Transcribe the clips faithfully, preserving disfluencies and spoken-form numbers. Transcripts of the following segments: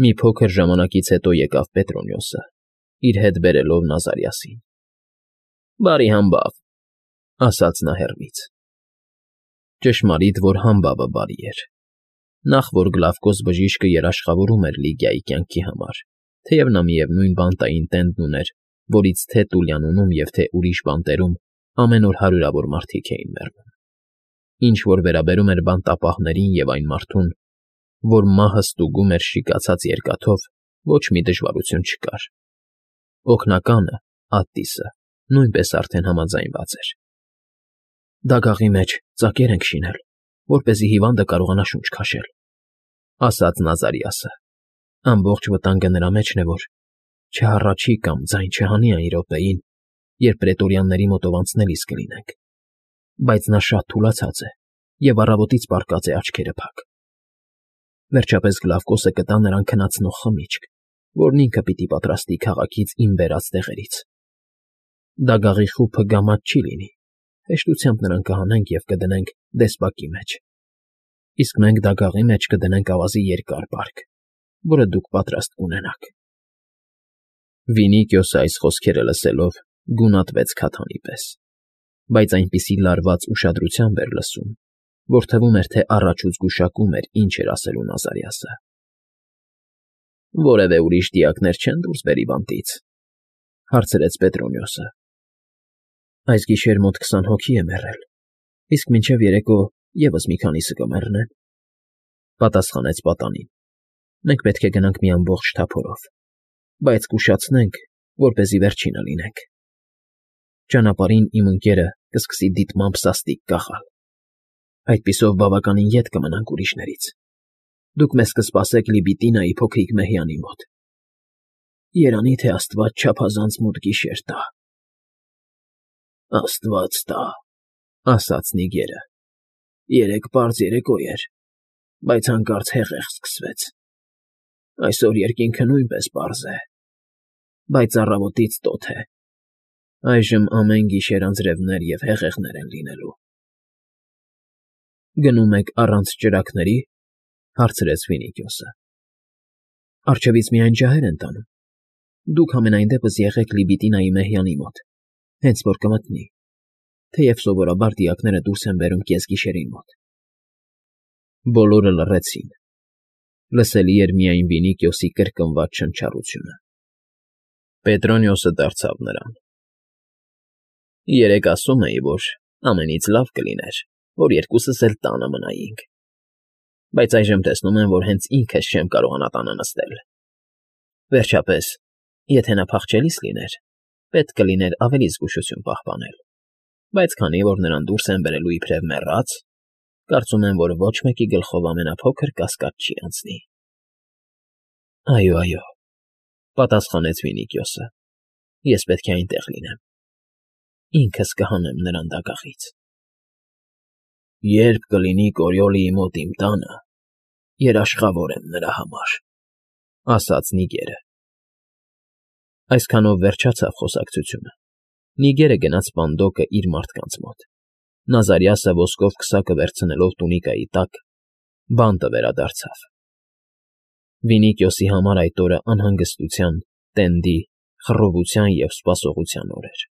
Մի փոքր ժամանակից հետո եկավ Պետրոնիոսը, իր հետ բերելով Նազարիասին։ ֊ Բարի համբավ,֊ ասաց նա հեռվից։ Ճշմարիտ, որ համբավը բարի էր։ Նախ, որ Գլավկոս բժիշկը երաշխավորում էր Լիգիայի կյանքի համար, թեև նա միևնույն բանտային տենդն ուներ, որից թե Տուլիանոնում և թե ուրիշ բանտերում ամեն օր հարյուրավոր մարդիկ էին մեռնում։ Ինչ որ վերաբերում էր բանտապահներին և այն մարդուն, որ մահը ստուգում էր շիկացած երկաթով, ոչ մի դժվարություն չկար։ Օգնականը՝ Ատտիսը, նույնպես արդեն համաձայնված էր։ ֊ Դագաղի մեջ ծակեր ենք շինել, որպեսզի հիվանդը կարողանա շունչ քաշել,֊ ասաց Նազարիասը։ Ամբողջ վտանգը նրա մեջն է, որ չհառաչի կամ ձայն չհանի այն րոպեին, երբ պրետորյանների մոտով անցնելիս կլինենք, բայց նա շատ թուլացած է և առավոտից պառկած է աչքերը փակ։ Վերջապես Գլավկոսը կտա նրան քնացնող խմիչք, որն ինքը պիտի պատրաստի քաղաքից իմ բերած տեղերից։ Դագաղի խուփը գամած չի լինի, հեշտությամբ նրան կհանենք և կդնենք դեսպակի մեջ, իսկ մենք դագաղի մեջ կդնենք ավազի երկար պարկ, որը դուք պատրաստ կունենաք։ Վինիքիոսը այս խոսքերը լսելով գունատվեց քաթանի պես, բայց այնպիսի լարված ուշադրությամբ էր լսում, որ թվում էր, թե առաջուց գուշակում էր, ինչ էր ասելու Նազարիասը։ ֊ Որևէ ուրիշ դիակներ չեն դուրս բերի բանտից,֊ հարցրեց Պետրոնիոսը։ ֊ Այս գիշեր մոտ քսան հոգի է մեռել, իսկ մինչև երեկո ևս մի քանիսը կմեռնեն,֊ պատասխանեց պատանին։ ֊ Մենք պետք է գնանք մի ամբողջ թափորով, բայց կուշացնենք, որպեսզի վերջինը լինենք։ Ճանապարհին իմ ընկերը կսկսի դիտմամբ սաստիկ կախալ։ Այդպիսով բավականին ետ կմնանք ուրիշներից։ Դուք մեզ կսպասեք Լիբիտինայի փոքրիկ մեհյանի մոտ։ Երանի թե աստված չափազանց մութ գիշեր տա։ ֊ Աստված տա,֊ ասաց Նիգերը։ Երեկ պարզ երեկո էր, բայց հանկարծ հեղեղ սկսվեց։ Այսօր երկինքը նույնպես պարզ է, բայց առավոտից տոթ է։ Այժմ ամեն գիշեր անձրևներ և հեղեղներ են լինելու։ ֊ Գնում եք առանց ճրագների,֊ հարցրեց Վինիքիոսը։ ֊ Առջևից միայն ջահեր են տանում։ Դուք համենայն դեպս եղեք Լիբիտինայի մեհյանի մոտ, հենց որ կմտնի, թեև սովորաբար դիակները դուրս են բերում կեսգիշերին մոտ։ Բոլորը լռեցին։ Լսելի էր միայն Վինիքիոսի կրկնված շնչառությունը։ Պետրոնիոսը դարձավ նրան. ֊ Երեկ ասում էի, որ ամենից լավ կլիներ, որ երկուսս էլ տանը մնայինք, բայց այժմ տեսնում եմ, որ հենց ինքս չեմ կարողանա տանը նստել։ Վերջապես, եթե նա փախչելիս լիներ, պետք կլիներ ավելի զգուշություն պահպանել, բայց քանի որ նրան դուրս են բերելու իբրև մեռած, կարծում եմ, որ ոչ մեկի գլխով ամենափոքր կասկած չի անցնի։ ֊ Այո, այո,֊ պատասխանեց Վինիքիոսը,֊ ես պետք է այնտեղ լինեմ։ Ինքս կհանեմ նրան դագաղից։ ֊ Երբ կլինի Կորիոլիի մոտ իմ տանը, երաշխավոր եմ նրա համար,֊ ասաց Նիգերը։ Այսքանով վերջացավ խոսակցությունը։ Նիգերը գնաց Պանդոկը իր մարդկանց մոտ, Նազարիասը ոսկով քսակը վերցնելով տունիկայի տակ, բանտը վերադարձավ։ Վինիքիոսի համար այդ օրը անհանգստության, տենդի, խռովության և սպասողության օր էր։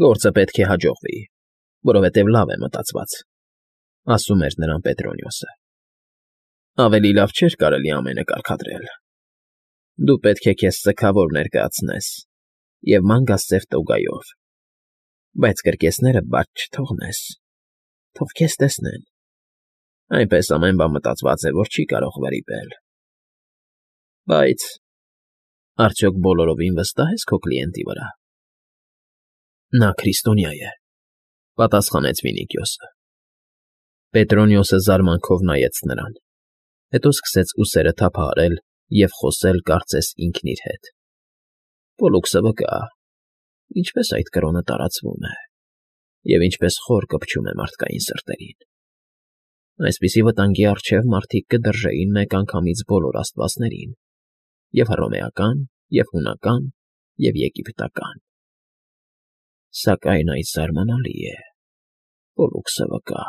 «Գործը պետք է հաջողվի, որովհետև լավ է մտածված,֊ ասում էր նրան Պետրոնիոսը։ Ավելի լավ չէր կարելի ամենը կարգադրել։ Դու պետք է քեզ սգավոր ներկայացնես և ման գաս սև տոգայով, բայց կրկեսները բաց չթողնես, թող քեզ տեսնեն։ Այնպես ամեն բան մտածված է, որ չի կարող վրիպել։ Բայց արդյոք բոլորովին վստահ ես քո կլիենտի վրա։ ֊ Նա քրիստոնյա է,֊ պատասխանեց Վինիքիոսը։ Պետրոնիոսը զարմանքով նայեց նրան, հետո սկսեց ուսերը թափահարել և խոսել կարծես ինքն իր հետ։ ֊ Պոլլուքսը վկա, ինչպես այդ կրոնը տարածվում է և ինչպես խոր կպչում է մարդկային սրտերին։ Այսպիսի վտանգի առջև մարդիկ կդրժեին մեկ անգամից բոլոր աստվածներին՝ և՛ հռոմեական, և՛ հունական, և՛ եգիպտական։ Սակայն այս զարմանալի է. Պոլլուքսը վկա։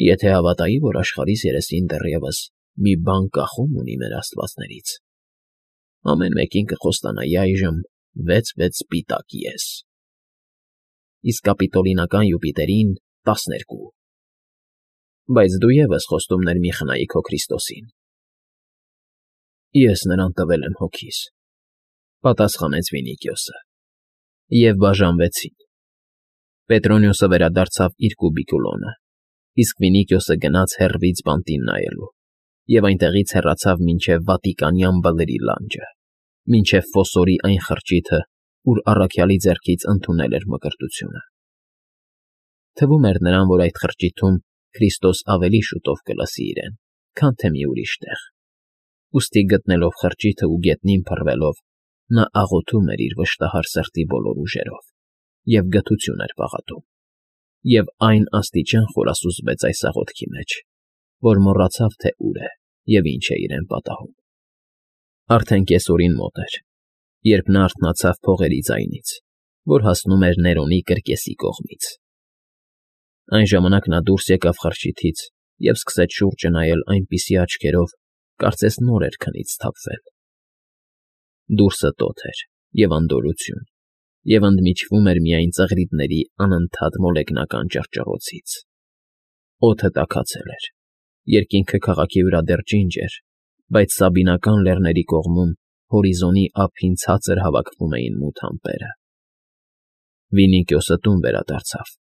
Եթե հավատայի, որ աշխարհիս երեսին դեռևս մի բան կախում ունի մեր աստվածներից, ամեն մեկին կխոստանայի այժմ վեց֊վեց սպիտակ եզ, իսկ կապիտոլինական Յուպիտերին տասներկու, բայց դու ևս խոստումներ մի խնայի քո Քրիստոսին։ Ես նրան տվել եմ հոգիս, պատասխանեց Վինիքիոսը, և բաժանվեցին։ Պետրոնիոսը վերադարձավ իր կուբիկուլոնը, իսկ Վինիքիոսը գնաց հեռվից բանտին նայելու և այնտեղից հեռացավ մինչև Վատիկանյան բլրի լանջը, մինչև Ֆոսորի այն խրճիթը, ուր առաքյալի ձեռքից ընդունել էր մկրտությունը։ Թվում էր նրան, որ այդ խրճիթում Քրիստոս ավելի շուտով կլսի իրեն, քան թե մի ուրիշ տեղ, ուստի գտնելով խրճիթը ու գետնին փռվելով, նա աղոթում էր իր վշտահար սրտի բոլոր ուժերով և գթություն էր պաղատում, և այն աստիճան խորասուզվեց այս աղոթքի մեջ, որ մոռացավ, թե ուր է և ինչ է իրեն պատահում։ Արդեն կեսօրին մոտ էր, երբ նա արթնացավ փողերի ձայնից, որ հասնում էր Ներոնի կրկեսի կողմից։ Այն ժամանակ նա դուրս եկավ խրճիթից և սկսեց շուրջը նայել այնպիսի աչքերով, կարծես նոր էր քնից սթափվել։ Դուրսը տոթ էր և անդորրություն, և ընդմիջվում էր միայն ծղրիդների անընդհատ մոլեգնական ճռճռոցից։ Օդը տաքացել էր, երկինքը քաղաքի վրա դեռ ջինջ էր, բայց Սաբինական լեռների կողմում հորիզոնի ափին ցածր հավաքվում էին մութ ամպերը։ Վինիքիոսը տուն վերադարձավ։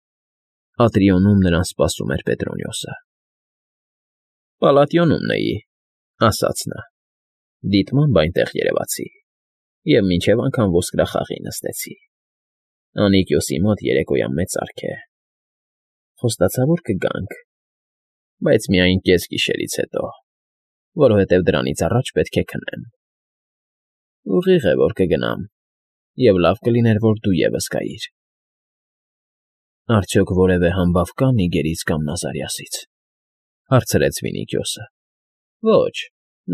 Ատրիոնում նրան սպասում էր Պետրոնիոսը։ Պալատիոնումն էի, ասաց նա, դիտմամբ այնտեղ երևացի, և մինչև անգամ ոսկրախաղի նստեցի։ Անիկիոսի մոտ երեկոյան մեծարք է։ Խոստացա, որ կգանք, բայց միայն կեսգիշերից հետո, որովհետև դրանից առաջ պետք է քնեմ։ Ուղիղ է, որ կգնամ, և լավ կլիներ, որ դու ևս գայիր։ Արդյոք որևէ համբավ կա Նիգերից կամ Նազարիասից, հարցրեց Վինիքիոսը։ Ոչ,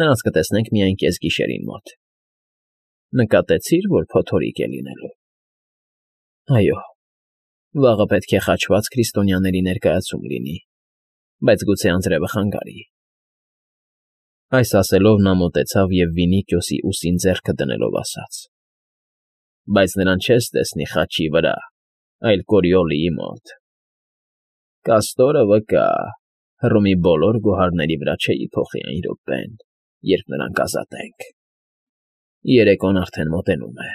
նրանց կտեսնենք միայն կեսգիշերին մոտ։ Նկատեցի՞ր, որ փոթորիկ է լինելու։ Այո, վաղը պետք է խաչված քրիստոնյաների ներկայացում լինի, բայց գուցե անձրևը խանգարի։ Այս ասելով նա մոտեցավ և Վինիքիոսի ուսին ձեռքը դնելով ասաց. Բայց նրան չես տեսնի խաչի վրա, այլ Կորիոլիի մոտ։ Կաստորը վկա, Հռոմի բոլոր գոհարների վրա չէի փոխի այն րոպեն, երբ նրան կազատենք։ Երեկոն արդեն մոտենում է։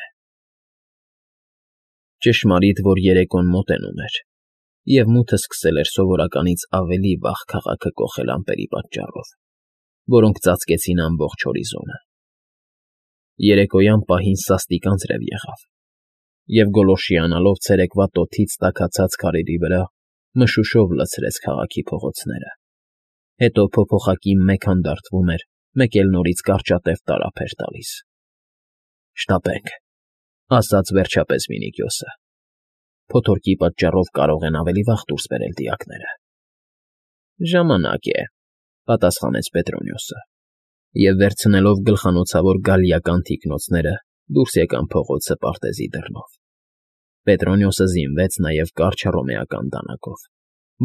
Ճշմարիտ, որ երեկոն մոտենում էր, և մութը սկսել էր սովորականից ավելի վաղ քաղաքը կոխել ամպերի պատճառով, որոնք ծածկեցին ամբողջ հորիզոնը։ Երեկոյան պահին սաստիկ անձրև եղավ, և գոլորշիանալով ցերեկվա տոթից տաքացած քարերի վրա մշուշով լցրեց քաղաքի փողոցները, հետո փոփոխակի մեկ հանդարտվում էր, մեկ էլ նորից կարճատև տարափ էր տալիս։ Շտապենք, ասաց վերջապես Վինիքիոսը։ Փոթորկի պատճառով կարող են ավելի վաղ դուրս բերել դիակները։ Ժամանակ է, պատասխանեց Պետրոնիոսը, և վերցնելով գլխանոցավոր գալիական թիկնոցները դուրս եկան փողոցը պարտեզի դռնով։ Պետրոնիոսը զինվեց նաև կարճ հռոմեական դանակով,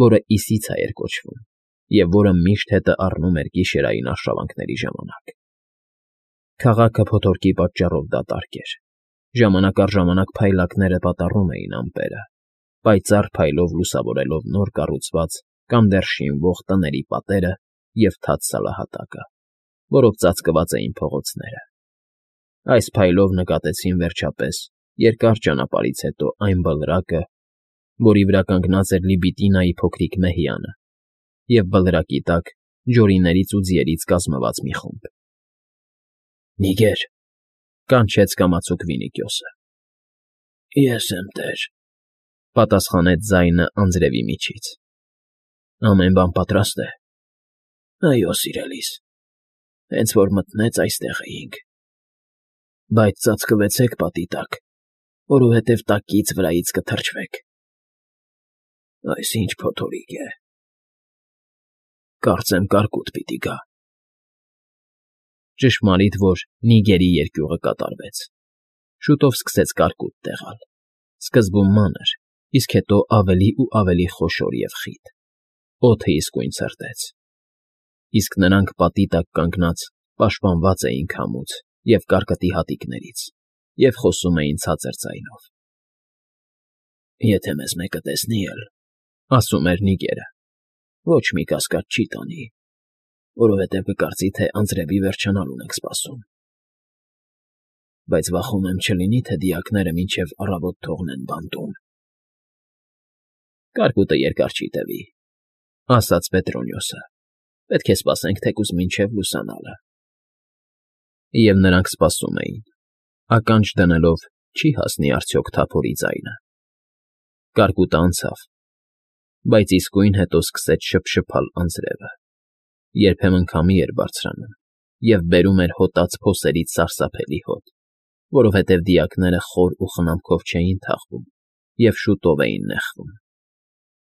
որը Իսիցա էր կոչվում, և որը միշտ հետը առնում էր գիշերային արշավանքների ժամանակ։ Քաղաքը փոթորկի պատճառով դատարկ էր։ Ժամանակ առ ժամանակ փայլակները պատառում էին ամպերը, պայծառ փայլով լուսավորելով նոր կառուցված կամ դեռ շինվող տների պատերը և թաց սալահատակը, որով ծածկված էին փողոցները։ Այս փայլով նկատեցին վերջապես երկար ճանապարհից հետո այն բլրակը, որի վրա կանգնած էր Լիբիտինայի փոքրիկ մեհյանը, և բլրակի տակ ջորիներից ու ձիերից կազմված մի խումբ։ Նիգեր, կանչեց կամացուկ Վինիքիոսը։ Ես եմ, տեր, պատասխանեց ձայնը անձրևի միջից։ Ամեն բան պատրաստ է։ Այո, սիրելիս, հենց որ մտնեց այստեղ էինք։ Բայց ծածկվեցեք պատի տակ, որովհետև տակից վրայից կթրջվեք։ Այս ինչ փոթորիկ է։ Կարծեմ կարկուտ պիտի գա։ Ճշմարիտ, որ Նիգերի երկյուղը կատարվեց։ Շուտով սկսեց կարկուտ տեղալ, սկզբում մանր, իսկ հետո ավելի ու ավելի խոշոր և խիտ։ Օդը իսկույն ցրտեց։ իսկ նրանք պատի տակ կանգնած պաշտպանված էին քամուց և կարկտի հատիկներից և խոսում էին ցածր ձայնով։ «Եթե մեզ մեկը տեսնի էլ,֊ ասում էր Նիգերը,֊ ոչ մի կասկած չի տանի, որովհետև կկարծի, թե անձրևի վերջանալուն ենք սպասում։ Բայց վախում եմ չլինի, թե դիակները մինչև առավոտ թողնեն բանտում»։ «Կարկուտը երկար չի տևի,֊ ասաց Պետրոնիոսը,֊ պետք է սպասենք թեկուզ մինչև լուսանալը»։ Եվ նրանք սպասում էին, ականջ դնելով՝ չի հասնի արդյոք թափորի ձայնը։ Կարկուտը անցավ, բայց իսկույն հետո սկսեց շփշփալ անձրևը, երբեմն քամի էր բարձրանում և բերում էր հոտած փոսերից սարսափելի հոտ, որովհետև դիակները խոր ու խնամքով չէին թաղվում և շուտով էին նեխվում։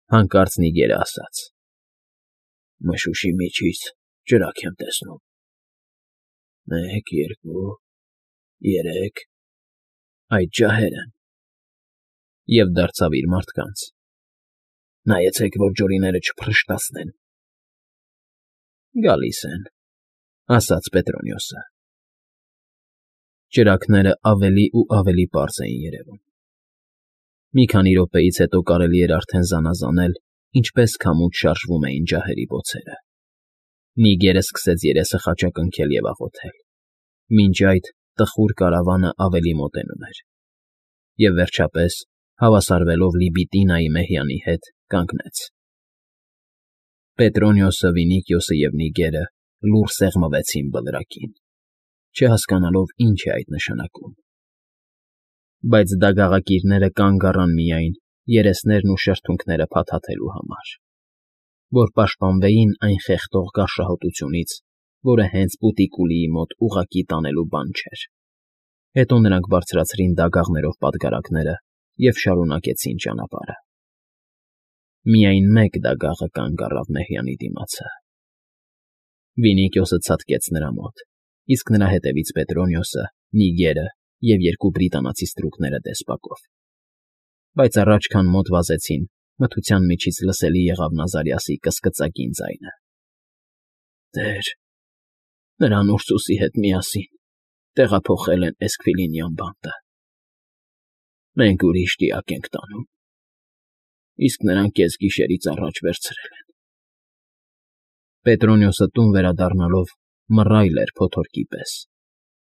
Հանկարծ Նիգերը ասաց. «Մշուշի միջից ճրագ եմ տեսնում։ Մեկ, երկու, երեք, այդ ջահեր են»։ Եվ դարձավ իր մարդկանց. «Նայեցեք, որ ջորիները չփռշտացնեն»։ «Գալիս են,֊ ասաց Պետրոնիոսը։ Ճրագները ավելի ու ավելի պարզ էին երևում։ Մի քանի րոպեից հետո կարելի էր արդեն զանազանել, ինչպես քամուց շարժվում էին ջահերի բոցերը։ Նիգերը սկսեց երեսը խաչակնքել և աղոթել։ Մինչ այդ տխուր կարավանը ավելի մոտենում էր։ Եվ վերջապես, հավասարվելով Լիբիտինայի մեհյանի հետ, կանգնեց։ Պետրոնիոսը, Վինիքիոսը և Նիգերը լուռ սեղմվեցին բլրակին, չհասկանալով ինչ է այդ նշանակում։ Բայց դագաղակիրները կանգ առան միայն երեսներն ու շրթունքները փաթաթելու համար, որ պաշտպանվեին այն խեղդող գարշահոտությունից, որը հենց Պուտիկուլիի մոտ ուղղակի տանելու բան չէր։ Հետո նրանք բարձրացրին դագաղներով պատգարակները և շարունակեցին ճանապարհը։ Միայն մեկ դագաղը կանգ առավ մեհյանի դիմացը։ Վինիքիոսը ցատկեց նրա մոտ, իսկ նրա հետևից Պետրոնիոսը, Նիգերը և երկու բրիտանացի ստրուկները դեսպակով։ Բայց առաջ քան մոտ վազեցին, մթության միջից լսելի եղավ Նազարիասի կսկծակին ձայնը. «Տեր, նրան Ուրսուսի հետ միասին տեղափոխել են Էսքվիլինյան բանտը։ Մենք ուրիշ դիակ ենք տանում, իսկ նրանք կեսգիշերից առաջ վերցրել են»։ Պետրոնիոսը տուն վերադառնալով մռայլ էր փոթորկի պես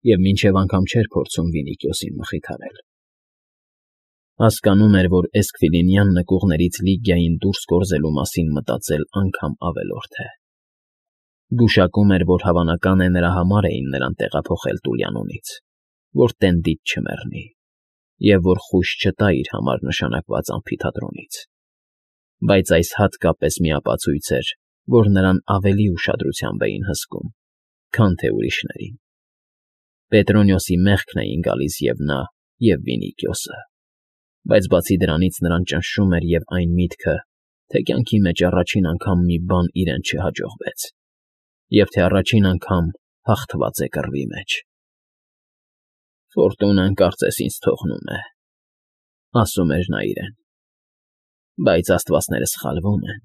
և մինչև անգամ չէր փորձում Վինիքիոսին մխիթարել։ Հասկանում էր, որ էսքվիլինյան նկուղներից Լիգիային դուրս կորզելու մասին մտածել անգամ ավելորդ է։ Գուշակում էր, որ հավանական է նրա համար էին նրան տեղափոխել Տուլյանոնից, որ տենդից չմեռնի, և որ խույս չտա իր համար նշանակված ամֆիթատրոնից։ Բայց այս հատկապես մի ապացույց էր, որ նրան ավելի ուշադրությամբ էին հսկում, քան թե ուրիշներին։ Պետրոնիոսի մեղքն էին գալիս և նա, և Վինիքիոսը, բայց բացի դրանից նրան ճնշում էր և այն միտքը, թե կյանքի մեջ առաջին անգամ մի բան իրեն չհաջողվեց, և թե առաջին անգամ հաղթված է կռվի մեջ։ «Ֆորտունան կարծես ինձ թողնում է,֊ ասում էր նա իրեն,֊ բայց աստվածները սխալվում են,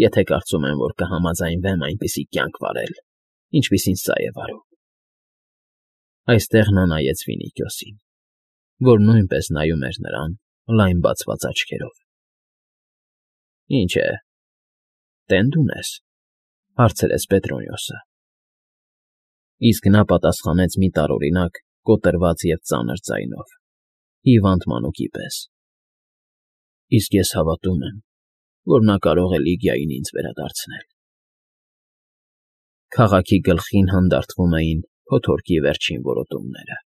եթե կարծում են, որ կհամաձայնվեմ այնպիսի կյանք վարել, ինչպիսին սա է վարում»։ Այստեղ նա նայեց Վինիքիոսին, որ նույնպես նայում էր նրան լայն բացված աչքերով։ «Ինչ է, տե՞նդ ունես,֊ հարցրեց Պետրոնիոսը։ Իսկ նա պատասխանեց մի տարօրինակ, կոտրված և ծանր ձայնով, հիվանդ մանուկի պես. «Իսկ ես հավատում եմ, որ նա կարող է Լիգիային ինձ վերադարձնել»։ Քաղաքի գլխին հանդարտվում էին փոթորկի վերջին որոտումները։